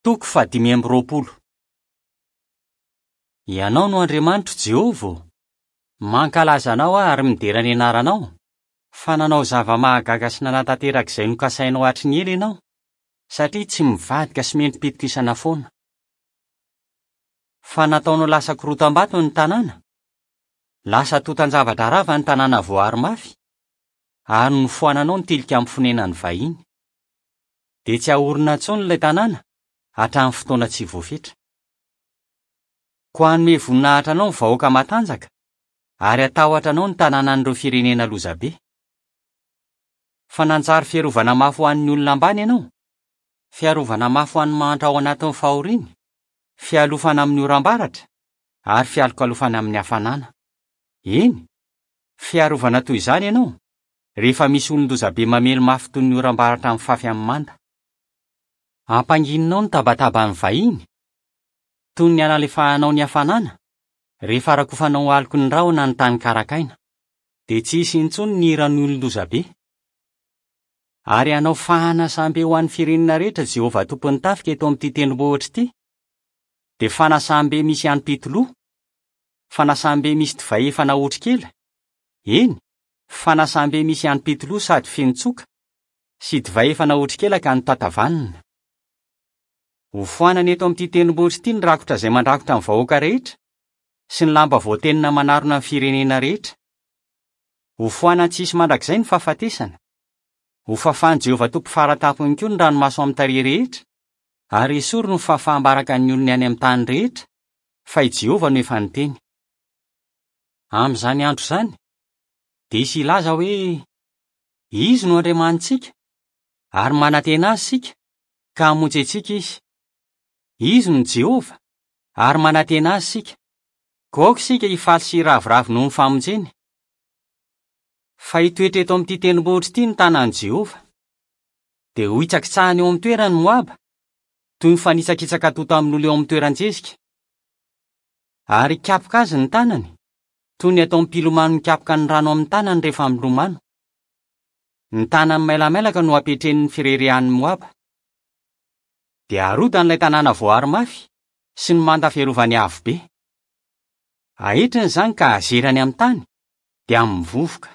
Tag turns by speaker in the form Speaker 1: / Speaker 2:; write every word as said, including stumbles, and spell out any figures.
Speaker 1: Toko fahadimy amby roapolo. Ianao no Andriamanitro Jehovah ô. Mankalaza anao aho ary midera ny anaranao, fa nanao zava-mahagaga sy nanatanteraka izay nokasainao hatry ny ela ianao, satria tsy mivadika sy mendri-pitokisana foana. Fa nataonao lasa korotam-bato ny tanàna, lasa tontan-javatra rava ny tanàna voaaro mafy, ary nofoananao ny tilikambo fonenan'ny vahiny. Dia tsy haorina intsony ilay tanàna hatramin'ny fotoana tsy voafetra. Koa hanome voninahitra anao ny vahoaka matanjaka, ary hatahotra anao ny tanànan'ireo firenena lozabe. Fa nanjary fiarovana mafy ho an'ny olona ambany ianao, fiarovana mafy ho an'ny mahantra ao anatin'ny fahoriany, fialofana amin'ny oram-baratra, ary fialokalofana amin'ny hafanana. Eny, fiarovana toy izany ianao, rehefa misy olon-dozabe mamely mafy toy ny oram-baratra mifafy amin'ny manda. Ampangininao ny tabataban'ny vahiny, toy ny analefahanao ny hafanana, rehefa rakofanao aloky ny rahona ny tany karakaina, dia tsy hisy intsony ny hiran'ny olon-dozabe. Ary hanao fanasambe ho an'ny firenena rehetra Jehovah tompon'ny tafika eto amin'ity tendrombohitra ity, dia fanasambe misy hanim-pitoloha, fanasambe misy divay efa naotro kely, eny, fanasambe misy hanim-pitoloha sady feno tsoka, sy divay efa naotro kely ka notatavanina. Hofoanana eto amin'ity tendrombohitra ity ny rakotra izay mandrakotra ny vahoaka rehetra, sy ny lamba voatenona manarona ny firenena rehetra. Hofoanana tsy hisy mandrakizay ny fahafatesana. Hofafan'i Jehovah Tompo faratampony koa ny ranomaso amin'ny tarehy rehetra, ary esoriny ny fahafaham-baraka ny olony any amin'ny tany rehetra, fa i Jehovah no efa niteny. Amin'izany andro izany, dia hisy hilaza hoe: Izy no Andriamanitsika, ary manantena azy isika, ka hamonjy antsika izy. Izy no Jehovah, ary manantena azy isika. Koa aoka isika hifaly sy hiraviravy noho ny famonjeny. Fa hitoetra eto amin'ity tendrombohitra ity ny tanan'i Jehovah. Dia ho hitsakitsahany eo amin'ny toerany Moaba, toy ny fanitsakitsaka tonta amin'olona eo amin'ny toeran-jezika. Ary hikapoka azy ny tanany, toy ny ataon'ny mpilomano mikapoka ny rano amin'ny tanany rehefa milomano. Ny tanany mailamailaka no hampietren'ny fireharehan'ny Moaba. Dia harodany ilay tanàna voaaro mafy sy ny manda fiarovany avo be. Ahetriny izany ka azerany amin'ny tany, dia amin'ny vovoka.